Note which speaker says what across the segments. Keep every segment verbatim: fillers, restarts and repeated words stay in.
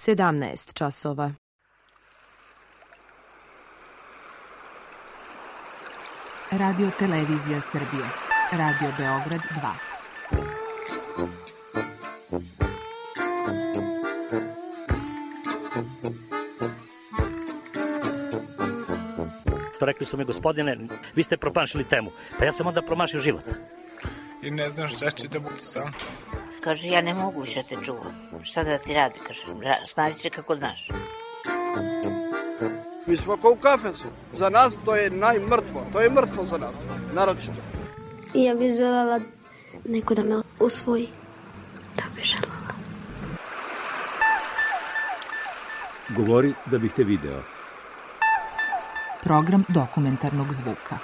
Speaker 1: sedamnaest časova.
Speaker 2: Radio Televizija Srbije. Radio Beograd dva.
Speaker 3: Rekli su mi, gospodine, vi ste promašili temu. Pa ja sam onda promašio život.
Speaker 4: I ne znam šta će da budu sam.
Speaker 5: Kaže, ja ne mogu više te čuvam. Šta da ti radi, kaže, snađi se kako znaš.
Speaker 6: Mi smo kao u kafesu. Za nas to je najmrtvo. To je mrtvo za nas, naročito.
Speaker 7: I ja bih željela neko da me usvoji. Da bih željela.
Speaker 8: Govori da bih te video.
Speaker 2: Program dokumentarnog zvuka.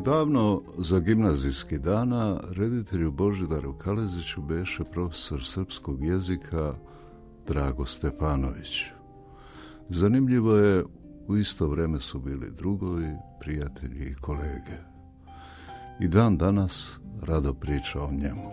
Speaker 9: Davno za gimnazijski dana reditelju Božidaru Kaleziću beše profesor srpskog jezika Drago Stefanović. Zanimljivo je, u isto vreme su bili drugovi, prijatelji i kolege. I dan danas rado priča o njemu.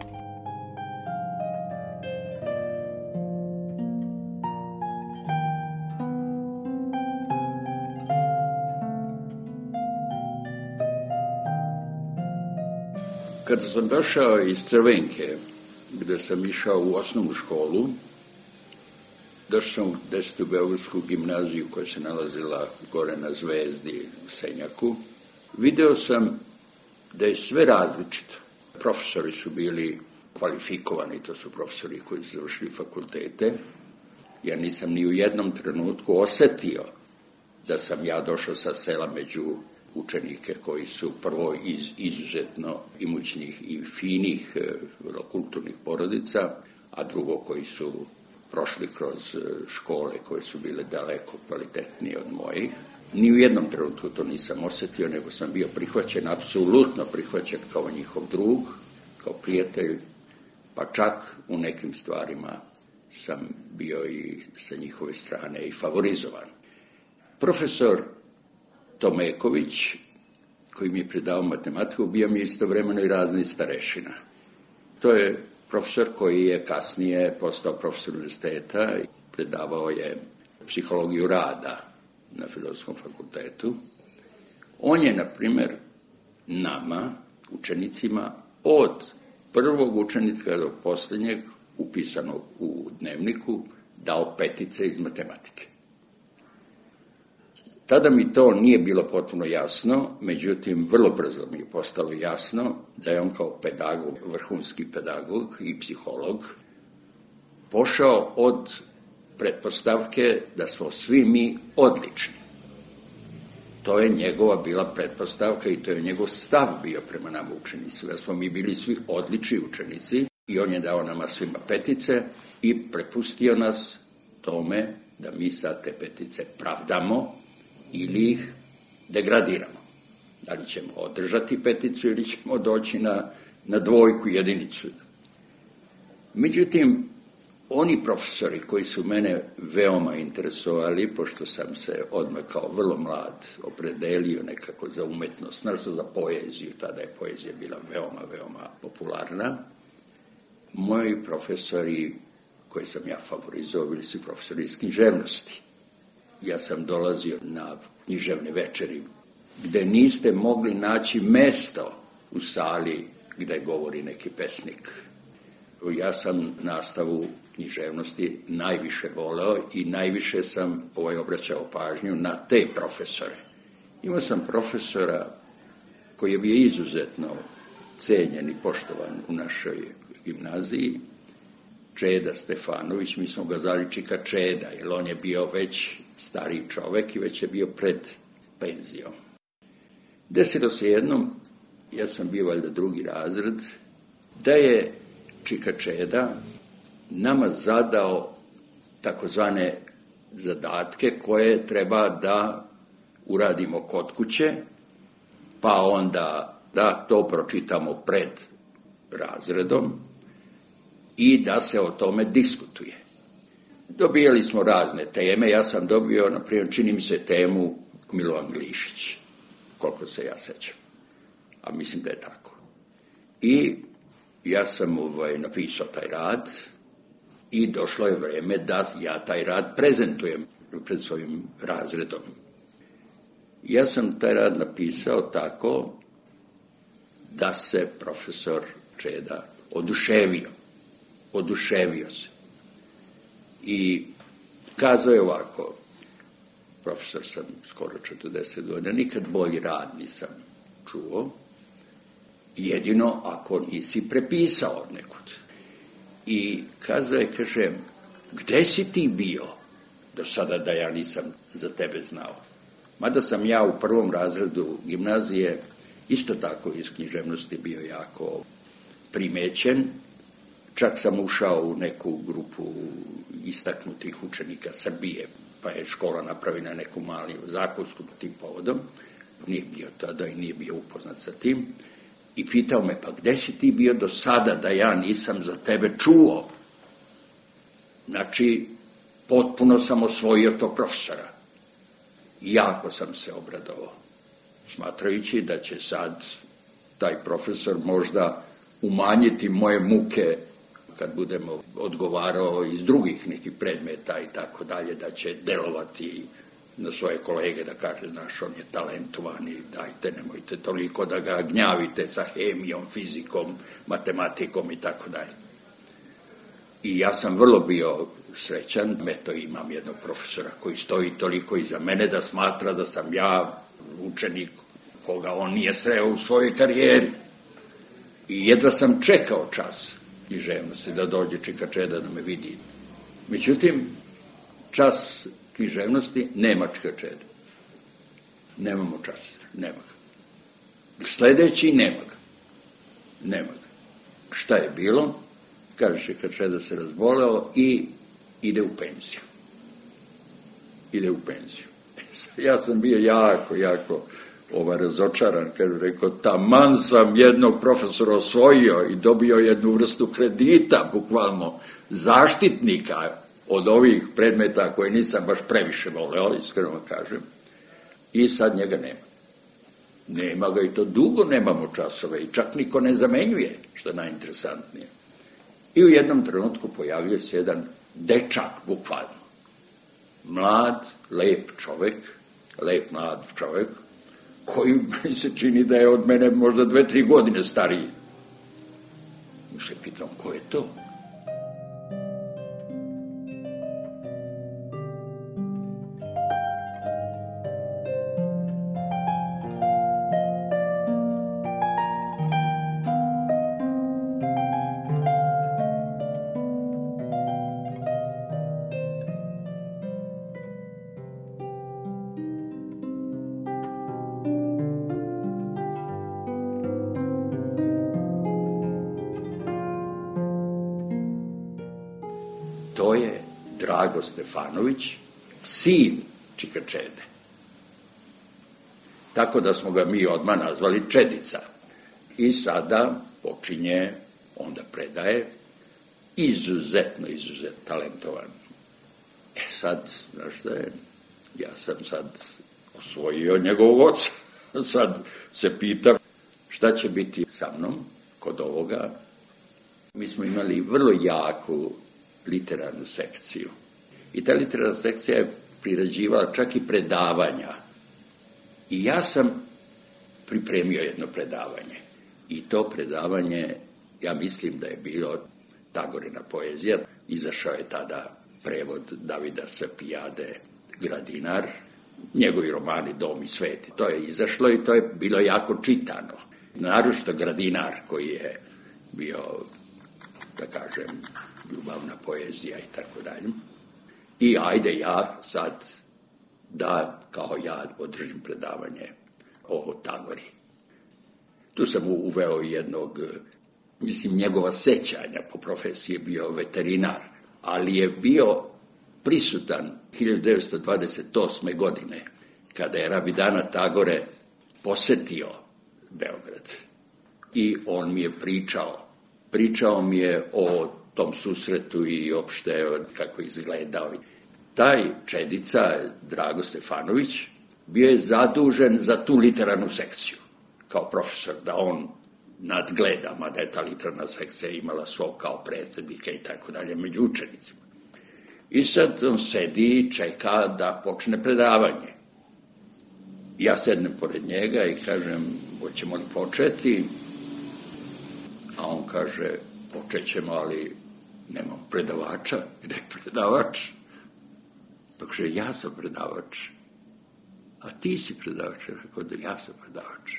Speaker 10: Kada sam došao iz Crvenke, gde sam išao u osnovnu školu, došao sam u desetu Beogradsku gimnaziju koja se nalazila gore na Zvezdi u Senjaku. Video sam da je sve različito. Profesori su bili kvalifikovani, to su profesori koji su završili fakultete. Ja nisam ni u jednom trenutku osetio da sam ja došao sa sela među učenike koji su prvo iz izuzetno imućnih i finih, vrlo kulturnih porodica, a drugo koji su prošli kroz škole koje su bile daleko kvalitetnije od mojih. Ni u jednom trenutku to nisam osetio, nego sam bio prihvaćen, apsolutno prihvaćen kao njihov drug, kao prijatelj, pa čak u nekim stvarima sam bio i sa njihove strane i favorizovan. Profesor Tomeković, koji mi je predavao matematiku, bio mi je istovremeno i razni starešina. To je profesor koji je kasnije postao profesor univerziteta i predavao je psihologiju rada na Filozofskom fakultetu. On je, na primjer, nama, učenicima, od prvog učenika do posljednjeg, upisanog u dnevniku, dao petice iz matematike. Tada mi to nije bilo potpuno jasno, međutim, vrlo brzo mi je postalo jasno da je on kao pedagog, vrhunski pedagog i psiholog, pošao od pretpostavke da smo svi mi odlični. To je njegova bila pretpostavka i to je njegov stav bio prema nama učenicima, da smo mi bili svi odlični učenici i on je dao nama svima petice i prepustio nas tome da mi sad te petice pravdamo ili ih degradiramo. Da li ćemo održati peticu ili ćemo doći na, na dvojku, jedinicu. Međutim, oni profesori koji su mene veoma interesovali, pošto sam se odmah kao vrlo mlad opredelio nekako za umetnost, naravno za poeziju, tada je poezija bila veoma, veoma popularna, moji profesori koje sam ja favorizovao bili su profesori iz književnosti. Ja sam dolazio na književne večeri gde niste mogli naći mesto u sali gde govori neki pesnik. Ja sam nastavu književnosti najviše voleo i najviše sam ovaj obraćao pažnju na te profesore. Imao sam profesora koji je bio izuzetno cenjen i poštovan u našoj gimnaziji, Čeda Stefanović, mi smo ga zvali Čika Čeda, jer on je bio već stariji čovek i već je bio pred penzijom. Desilo se jednom, ja sam bio valjda drugi razred, da je Čika Čeda nama zadao takozvane zadatke koje treba da uradimo kod kuće, pa onda da to pročitamo pred razredom i da se o tome diskutuje. Dobijali smo razne teme, ja sam dobio, na primjer, čini mi se temu Milovan Glišić. koliko se ja sećam. A mislim da je tako. I ja sam ovaj, napisao taj rad i došlo je vreme da ja taj rad prezentujem pred svojim razredom. Ja sam taj rad napisao tako da se profesor Čeda oduševio. Oduševio se. I kazao je ovako, profesor sam skoro četrdeset godina, nikad bolji rad nisam čuo, jedino ako nisi prepisao od nekud. I kazao je, kaže, gde si ti bio do sada da ja nisam za tebe znao? Mada sam ja u prvom razredu gimnazije isto tako iz književnosti bio jako primećen. Čak sam ušao u neku grupu istaknutih učenika Srbije, pa je škola napravila neku malu zakonsku tim povodom. Nije bio tada i nije bio upoznat sa tim. I pitao me, pa gde si ti bio do sada da ja nisam za tebe čuo? Znači, potpuno sam osvojio tog profesora. Jako sam se obradovao, smatrajući da će sad taj profesor možda umanjiti moje muke kad budemo odgovarao iz drugih nekih predmeta i tako dalje, da će delovati na svoje kolege, da kaže, znaš, on je talentovan i dajte, nemojte toliko da ga gnjavite sa hemijom, fizikom, matematikom i tako dalje. I ja sam vrlo bio srećan, eto imam jednog profesora koji stoji toliko iza mene da smatra da sam ja učenik koga on nije sreo u svojoj karijeri. I jedva sam čekao čas književnosti da dođe Čika Čeda da me vidi. Međutim, čas književnosti nema Čika Čeda. Nemamo čas, nema ga. Sledeći nema ga. Nema ga. Šta je bilo? Kaže Čika Čeda se razboleo i ide u penziju. Ide u penziju. Ja sam bio jako, jako ovaj, razočaran, kad je rekao, taman sam jednog profesora osvojio i dobio jednu vrstu kredita, bukvalno zaštitnika od ovih predmeta koje nisam baš previše voleo, iskreno kažem, i sad njega nema. Nema ga i to dugo nemamo časove i čak niko ne zamenjuje, što je najinteresantnije. I u jednom trenutku pojavljuje se jedan dečak, bukvalno. Mlad, lep čovek, lep mlad čovek, koji mi se čini da je od mene možda dve, tri godine stariji. Mi se pitam, ko je to? To je Drago Stefanović, sin Čika Čede. Tako da smo ga mi odmah nazvali Čedica. I sada počinje, onda predaje, izuzetno, izuzetno talentovan. E sad, znaš šta je, ja sam sad osvojio njegovog oca. Sad se pitam šta će biti sa mnom kod ovoga. Mi smo imali vrlo jaku literarnu sekciju. I ta literarna sekcija je priređivala čak i predavanja. I ja sam pripremio jedno predavanje. I to predavanje, ja mislim da je bilo Tagorina poezija. Izašao je tada prevod Davida Sapijade Gradinar, njegovi romani Dom i svet. To je izašlo i to je bilo jako čitano. Naročito Gradinar, koji je bio, da kažem, ljubavna poezija i tako dalje. I ajde ja sad da, kao ja, održim predavanje o Tagori. Tu sam uveo jednog, mislim, njegova sećanja, po profesiji je bio veterinar, ali je bio prisutan hiljadu devetsto dvadeset osme. godine, kada je Rabindranat Tagore posetio Beograd. I on mi je pričao, pričao mi je o tom susretu i opšte kako izgledao. Taj Čedica, Drago Stefanović, bio je zadužen za tu literarnu sekciju, kao profesor, da on nadgleda, mada je ta literarna sekcija imala svog kao predsjednika i tako dalje među učenicima. I sad on sedi i čeka da počne predavanje. Ja sednem pored njega i kažem, hoćemo li početi? A on kaže, počet ćemo, ali nemam predavača. Gde je predavač? Dakle, ja sam predavač. A ti si predavač? Rekao da ja sam predavač.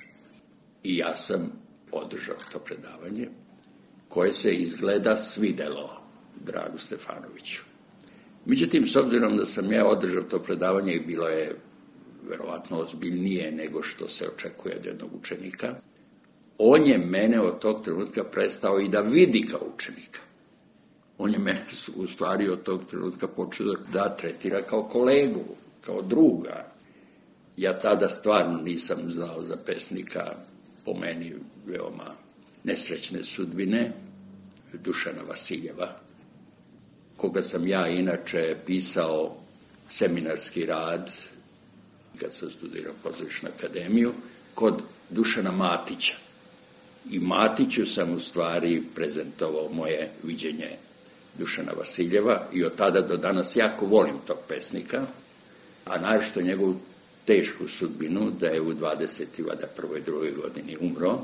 Speaker 10: I ja sam održao to predavanje, koje se izgleda svidelo Dragu Stefanoviću. Međutim, s obzirom da sam ja održao to predavanje i bilo je verovatno ozbiljnije nego što se očekuje od jednog učenika, on je mene od tog trenutka prestao i da vidi kao učenika. On je mene u stvari od tog trenutka počeo da tretira kao kolegu, kao druga. Ja tada stvarno nisam znao za pesnika, po meni veoma nesrećne sudbine, Dušana Vasiljeva, koga sam ja inače pisao seminarski rad, kad sam studirao Pozorišnu akademiju, kod Dušana Matića. I Matiću sam u stvari prezentovao moje viđenje Dušana Vasiljeva i od tada do danas jako volim tog pesnika, a naročito njegovu tešku sudbinu, da je u dvadeset prvoj drugoj godini umro.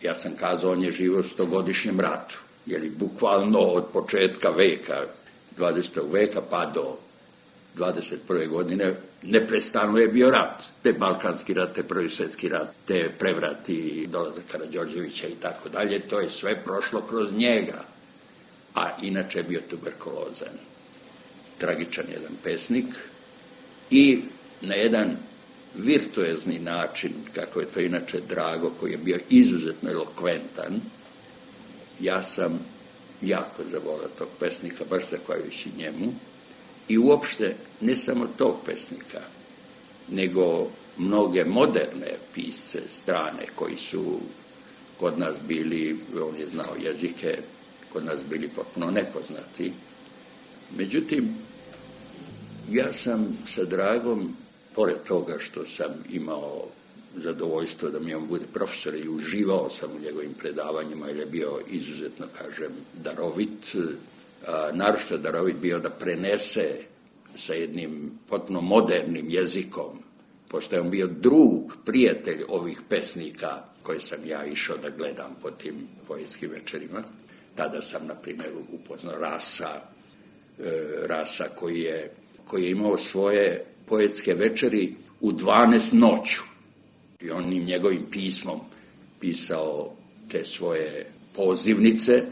Speaker 10: Ja sam kazao, on je živo u stogodišnjem ratu, jer bukvalno od početka veka, dvadesetog veka pa do dvadeset prve godine neprestano je bio rat. Te Balkanski rat, te Prvi svjetski rat, te prevrati, dolazak Karađorđevića i tako dalje, to je sve prošlo kroz njega. A inače je bio tuberkulozan. Tragičan jedan pesnik i na jedan virtuozni način, kako je to inače Drago, koji je bio izuzetno elokventan, ja sam jako zavolao tog pesnika, baš zahvaljujući njemu, i uopšte ne samo tog pesnika, nego mnoge moderne pisce strane koji su kod nas bili, on je znao jezike, kod nas bili potpuno nepoznati. Međutim, ja sam sa Dragom, pored toga što sam imao zadovoljstvo da mi on bude profesor i uživao sam u njegovim predavanjima, jer je bio izuzetno, kažem, darovit, a, naročito darovit bio da prenese sa jednim potpuno modernim jezikom, pošto je on bio drug, prijatelj ovih pesnika koje sam ja išao da gledam po tim poetskim večerima. Tada sam, na primjer, upoznao Rasa, e, Rasa koji je, koji je imao svoje poetske večeri u dvanaest noću. I on im njegovim pismom pisao te svoje pozivnice,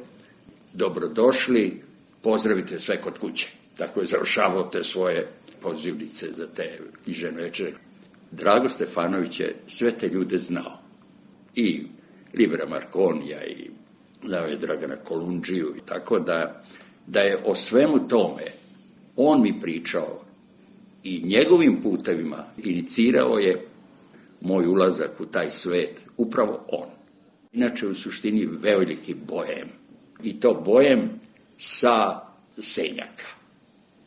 Speaker 10: dobrodošli, pozdravite sve kod kuće. Tako je završavao te svoje pozivnice za te književne večere. Drago Stefanović je sve te ljude znao. I Libera Marconija i znao je Dragana Kolundžiju i tako da, da je o svemu tome on mi pričao i njegovim putevima inicirao je moj ulazak u taj svet, upravo on. Inače, u suštini, veliki bojem. I to bojem sa Senjaka.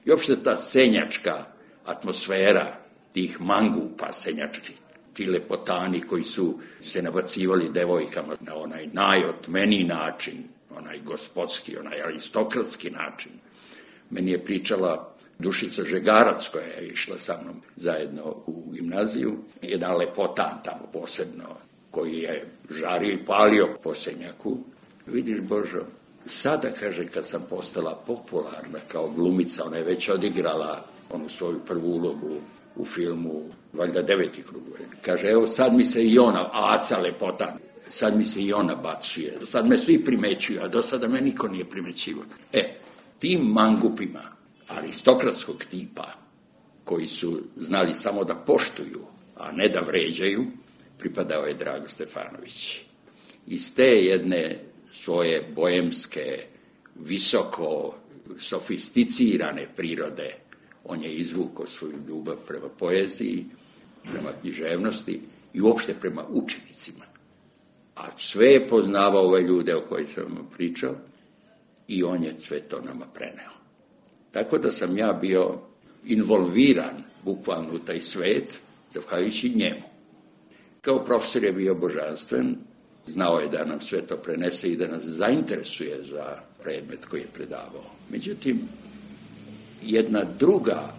Speaker 10: I uopšte ta senjačka atmosfera tih mangupa senjačkih, ti lepotani koji su se nabacivali devojkama na onaj najotmeniji način, onaj gospodski, onaj aristokratski način. Meni je pričala Dušica Žegarac, koja je išla sa mnom zajedno u gimnaziju, jedan lepotan tamo posebno, koji je žario i palio po Senjaku. Vidiš, Božo, sada, kaže, kad sam postala popularna kao glumica, ona je već odigrala onu svoju prvu ulogu u filmu, valjda Deveti krug. Kaže, evo sad mi se i ona, aca lepotan, sad mi se i ona bacuje, sad me svi primećuju, a do sada me niko nije primećivao. E, tim mangupima aristokratskog tipa, koji su znali samo da poštuju, a ne da vređaju, pripadao je Drago Stefanović. Iz te jedne svoje bojemske, visoko sofisticirane prirode, on je izvukao svoju ljubav prema poeziji, prema književnosti i uopšte prema učenicima. A sve je poznavao ove ljude o kojima sam vam pričao i on je sve to nama preneo. Tako da sam ja bio involviran bukvalno u taj svet zahvaljujući njemu. Kao profesor je bio božanstven, znao je da nam sve to prenese i da nas zainteresuje za predmet koji je predavao. Međutim, jedna druga,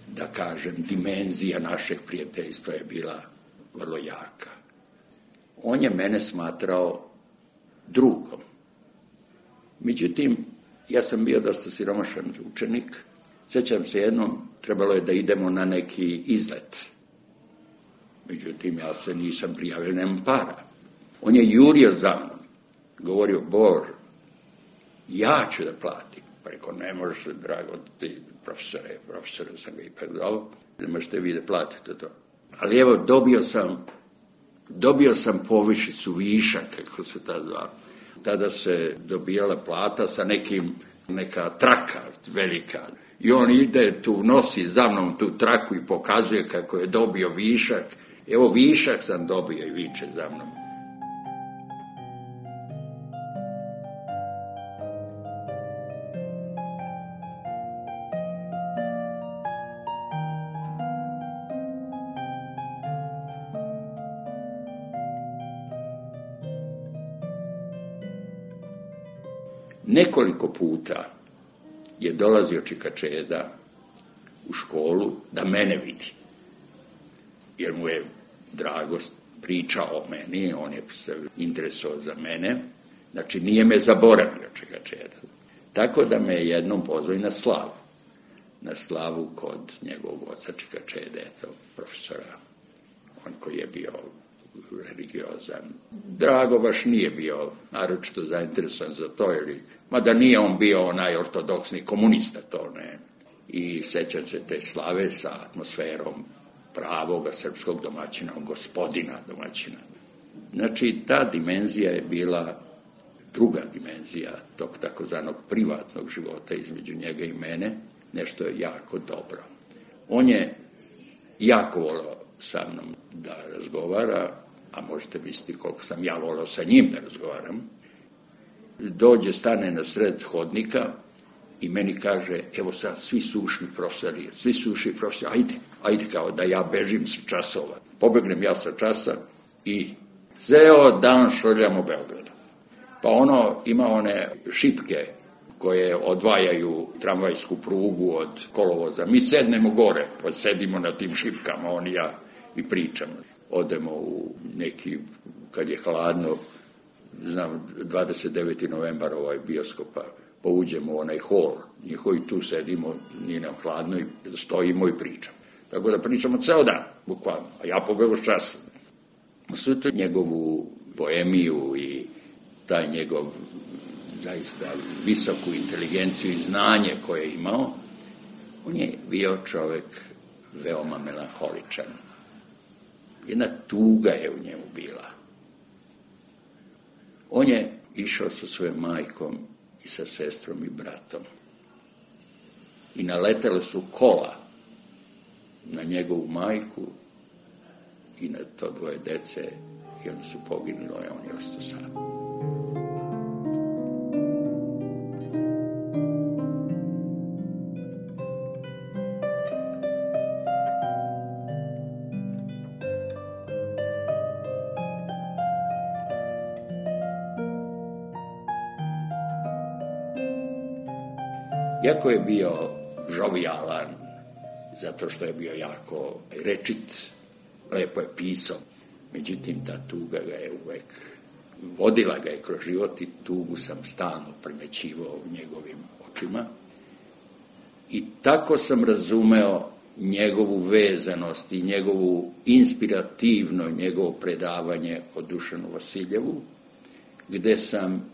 Speaker 10: da kažem, dimenzija našeg prijateljstva je bila vrlo jaka. On je mene smatrao drugom. Međutim, ja sam bio dosta siromašan učenik. Sjećam se jednom, trebalo je da idemo na neki izlet. Međutim, ja se nisam prijavio, nemam para. On je jurio za mnom, govorio, Bože, ja ću da platim. Pa rekao, ne možeš, drago, ti profesore, profesore sam ga ipak dao, ne možete vi da platite to. Ali evo, dobio sam, dobio sam povišicu, višak, kako se tada zvalo. Tada se dobijala plata sa nekim, neka traka velika. I on ide tu, nosi za mnom tu traku i pokazuje kako je dobio višak. Evo, višak sam dobio i viče za mnom. Nekoliko puta je dolazio Čika Čeda u školu da mene vidi, jer mu je drago pričao o meni, on je se interesovao za mene, znači nije me zaboravio Čika Čeda. Tako da me je jednom pozvao i na slavu, na slavu kod njegovog oca Čika Čede, tog profesora, on koji je bio religiozan. Drago baš nije bio naročito zainteresovan za to, ili, mada nije on bio onaj ortodoksni komunista, to ne. I sećam se te slave sa atmosferom pravoga srpskog domaćina, gospodina domaćina. Znači, ta dimenzija je bila druga dimenzija tog takozvanog privatnog života između njega i mene, nešto je jako dobro. On je jako volio sa mnom da razgovara, a možete misliti koliko sam ja volio sa njim da razgovaram. Dođe, stane na sred hodnika i meni kaže, evo sad, svi su ušli profesori, svi su ušli profesori, ajde, ajde, kao da ja bežim sa časova. Pobegnem ja sa časa i ceo dan šoljam u Beogradu. Pa ono, ima one šipke koje odvajaju tramvajsku prugu od kolovoza. Mi sednemo gore, pa sedimo na tim šipkama, on i ja, i pričamo. Odemo u neki, kad je hladno, znam, dvadeset deveti novembar ovaj bioskopa, pa uđemo u onaj hol, njihovi tu sedimo, nije nam hladno, i stojimo i pričamo. Tako da pričamo ceo dan, bukvalno, a ja pobegu s časa. Sve to njegovu poemiju i taj njegov zaista visoku inteligenciju i znanje koje je imao, on je bio čovek veoma melanholičan. Jedna tuga je u njemu bila. On je išao sa svojom majkom i sa sestrom i bratom. I naletele su kola na njegovu majku i na to dvoje dece i onda su poginuli, a on je ostao sam. Iako je bio žovijalan, zato što je bio jako rečit, lepo je pisao, međutim ta tuga ga je uvek, vodila ga je kroz život i tugu sam stalno primećivao u njegovim očima. I tako sam razumeo njegovu vezanost i njegovu inspirativno, njegovo predavanje o Dušanu Vasiljevu, gde sam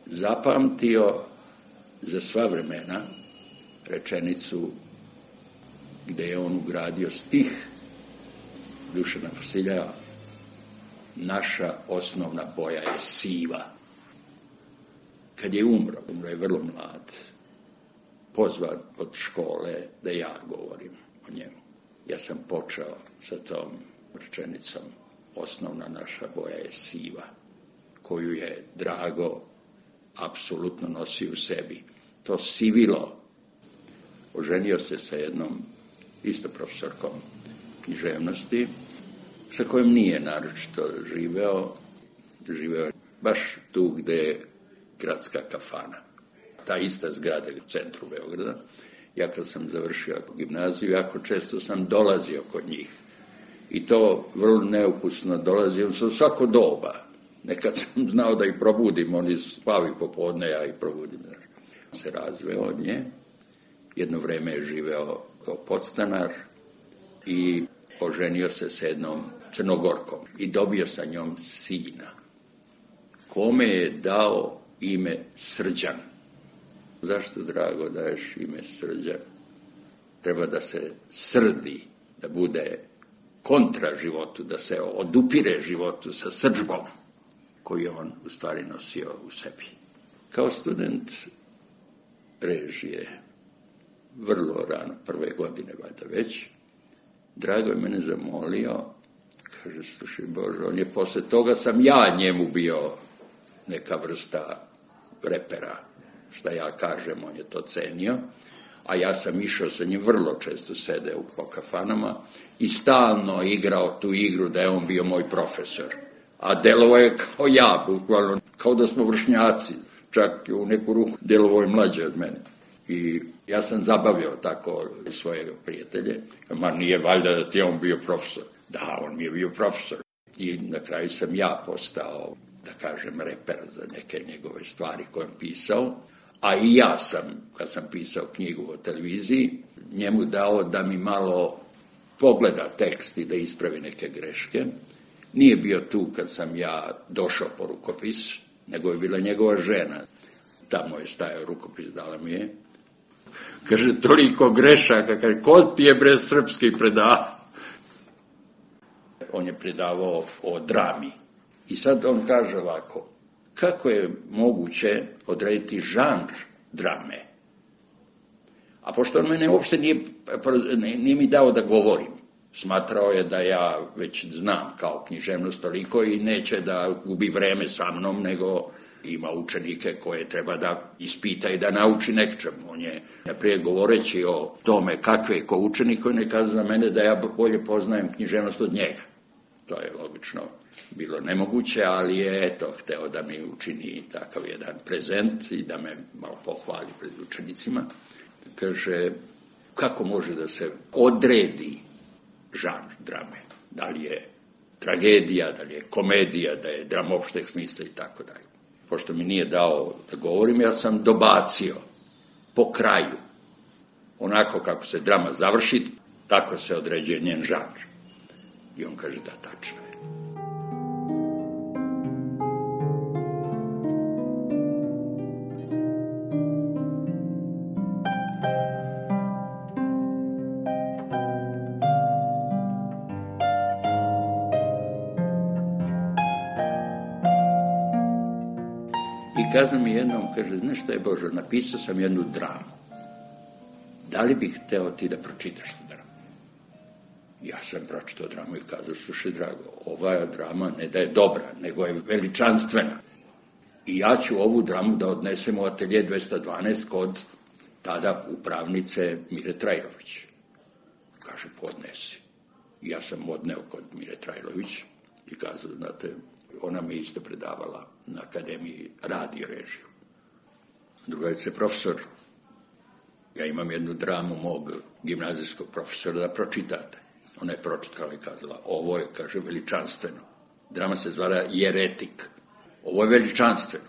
Speaker 10: zapamtio za sva vremena rečenicu gde je on ugradio stih Dušana Vasiljeva: naša osnovna boja je siva. Kad je umro, umro je vrlo mlad, pozvan od škole da ja govorim o njemu. Ja sam počeo sa tom rečenicom: osnovna naša boja je siva, koju je Drago apsolutno nosio u sebi. To sivilo. Oženio se sa jednom isto profesorkom književnosti, sa kojim nije naročito živeo. Živeo je baš tu gde je gradska kafana. Ta ista zgrada u centru Beograda. Ja kad sam završio gimnaziju, jako često sam dolazio kod njih. I to vrlo neukusno dolazio sam svako doba. Nekad sam znao da ih probudim, oni spavi popodne, ja ih probudim. Se razveo od nje. Jedno vreme je živeo kao podstanar i oženio se s jednom Crnogorkom i dobio sa njom sina, kome je dao ime Srđan. Zašto, Drago, daješ ime Srđan? Treba da se srdi, da bude kontra životu, da se odupire životu sa srdžbom koju je on u stvari nosio u sebi. Kao student režije, vrlo rano, prve godine valjda već, Drago je mene zamolio, kaže, slušaj Bože, on je posle toga sam ja njemu bio neka vrsta repera, šta ja kažem, on je to cenio, a ja sam išao sa njim, vrlo često sedeo po kafanama i stalno igrao tu igru da je on bio moj profesor. A delovo je kao ja, bukvalno, kao da smo vršnjaci, čak u neku ruku delovo je mlađe od mene. I ja sam zabavljao tako svoje prijatelje, ma nije valjda da ti je on bio profesor. Da, on mi je bio profesor. I na kraju sam ja postao, da kažem, reper za neke njegove stvari koje on pisao. A i ja sam, kad sam pisao knjigu o televiziji, njemu dao da mi malo pogleda tekst i da ispravi neke greške. Nije bio tu kad sam ja došao po rukopis, nego je bila njegova žena. Tamo je stajao rukopis, dala mi je. Kaže, toliko grešaka, kaže, ko ti je bre srpski predavao? On je predavao o drami. I sad on kaže ovako, kako je moguće odrediti žanr drame? A pošto on mene uopšte nije, nije mi dao da govorim, smatrao je da ja već znam kao književnost toliko i neće da gubi vreme sa mnom, nego ima učenike koje treba da ispita i da nauči nečemu. On je, naprijed govoreći o tome kakve je ko učenik, on je kazao za mene da ja bolje poznajem književnost od njega. To je logično bilo nemoguće, ali je eto hteo da mi učini takav jedan prezent i da me malo pohvali pred učenicima. Kaže, kako može da se odredi žanr drame? Da li je tragedija, da li je komedija, da je drama opšteg smisla i tako dalje. Pošto mi nije dao da govorim, ja sam dobacio po kraju. Onako kako se drama završi, tako se određuje njen žanr. I on kaže, da, tačno je. I kazao mi jednom, kaže, znaš šta je Božo, napisao sam jednu dramu. Da li bih hteo ti da pročitaš tu dramu? Ja sam pročitao dramu i kazao, slušaj Drago, ova drama ne da je dobra, nego je veličanstvena. I ja ću ovu dramu da odnesem u atelje dvesta dvanaest kod tada upravnice Mire Trajlović. Kaže, podnesi. I ja sam odneo kod Mire Trajlović i kazao, znate, ona mi isto predavala na Akademiji radio režiju. Drugarice profesor, ja imam jednu dramu mog gimnazijskog profesora da pročitate. Ona je pročitala i kazala, ovo je, kaže, veličanstveno. Drama se zvala Jeretik. Ovo je veličanstveno.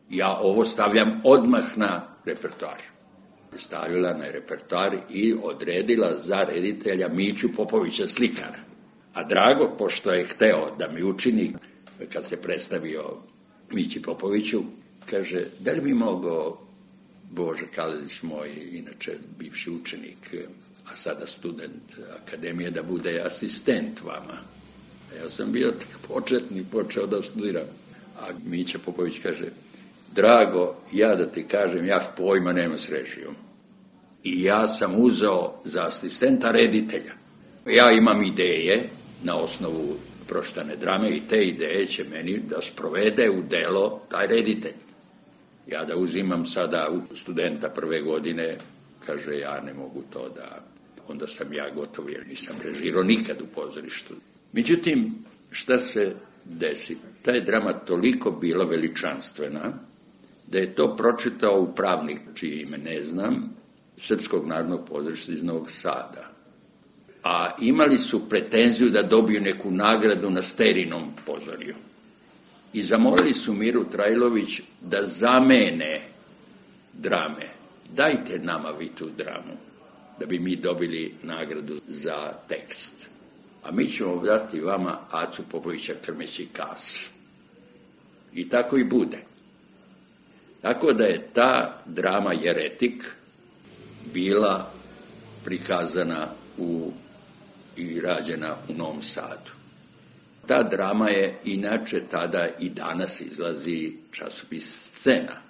Speaker 10: Ja ovo stavljam odmah na repertoar. Stavila na repertoar i odredila za reditelja Miću Popovića, slikara. A Drago, pošto je hteo da mi učini, kad se predstavio Mići Popoviću, kaže, da li bi mogao Bože Kalezić, moj, inače bivši učenik, a sada student akademije, da bude asistent vama. A ja sam bio tak početnik, počeo da studiram. A Mića Popović kaže, Drago, ja da ti kažem, ja pojma nema s režijom. I ja sam uzeo za asistenta reditelja. Ja imam ideje na osnovu pročitane drame i te ideje će meni da sprovede u delo taj reditelj. Ja da uzimam sada studenta prve godine, kaže, ja ne mogu to da onda sam ja gotov jer nisam režirao nikad u pozorištu. Međutim, šta se desi? Ta je drama toliko bila veličanstvena da je to pročitao upravnik, čije ime ne znam, Srpskog narodnog pozorišta iz Novog Sada. A imali su pretenziju da dobiju neku nagradu na Sterinom pozorju. I zamolili su Miru Trajlović da zamene drame. Dajte nama vi tu dramu, da bi mi dobili nagradu za tekst. A mi ćemo dati vama Acu Popovića Krmeći Kas. I tako i bude. Tako da je ta drama Jeretik bila prikazana u, i rađena u Novom Sadu. Ta drama je inače tada i danas izlazi časopis Scena.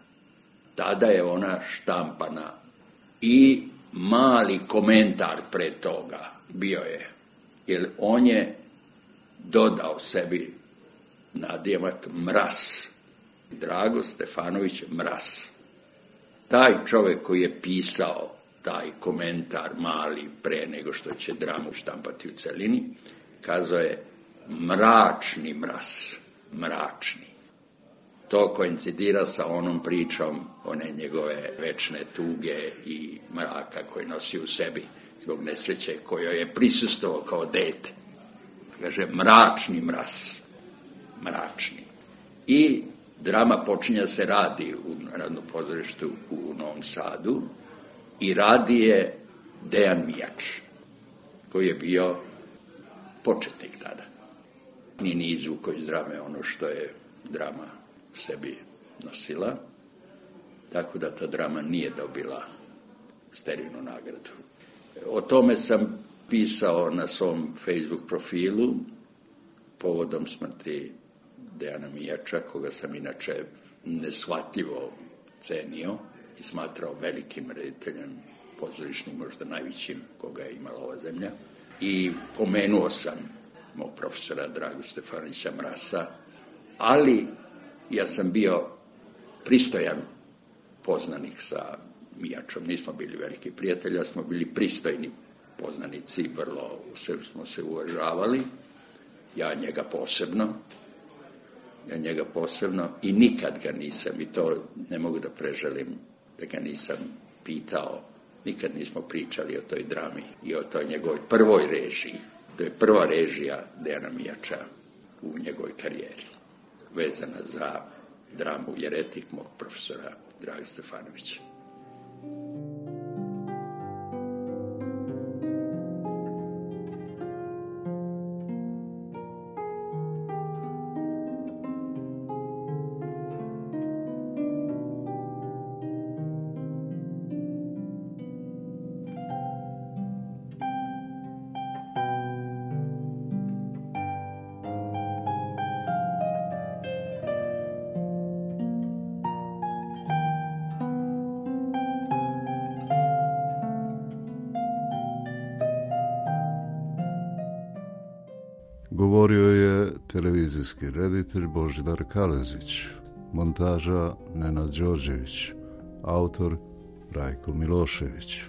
Speaker 10: Tada je ona štampana i mali komentar pre toga bio je, jer on je dodao sebi nadimak Mraz. Drago Stefanović Mraz. Taj čovjek koji je pisao taj komentar mali pre nego što će dramu štampati u celini, kazao je mračni mraz, mračni. To koincidira sa onom pričom one njegove večne tuge i mraka koje nosi u sebi zbog nesreće kojoj je prisustvovao kao dete. Kaže mračni mraz, mračni. I drama počinja se radi u Narodnom pozorištu u Novom Sadu i radi je Dejan Mijač, koji je bio početnik tada. Ni ni izvuko iz drame ono što je drama u sebi nosila, tako da ta drama nije dobila Sterinu nagradu. O tome sam pisao na svom Facebook profilu povodom smrti Dejana Mijača, koga sam inače neshvatljivo cenio i smatrao velikim rediteljem, pozorišnim, možda najvećim koga je imala ova zemlja. I pomenuo sam mog profesora Dragu Stefanovića Mrasa, ali ja sam bio pristojan poznanik sa Mijačom. Nismo bili veliki prijatelji, ali smo bili pristojni poznanici, vrlo smo se uvažavali. Ja njega posebno, ja njega posebno i nikad ga nisam, i to ne mogu da preželim, da ga nisam pitao, nikad nismo pričali o toj drami i o toj njegovoj prvoj režiji. To je prva režija Dejana Mijača u njegovoj karijeri, vezana za dramu Jeretik mog profesora Draga Stefanovića.
Speaker 9: Govorio je televizijski reditelj Božidar Kalezić, montaža Nenad Đorđević, autor Rajko Milošević.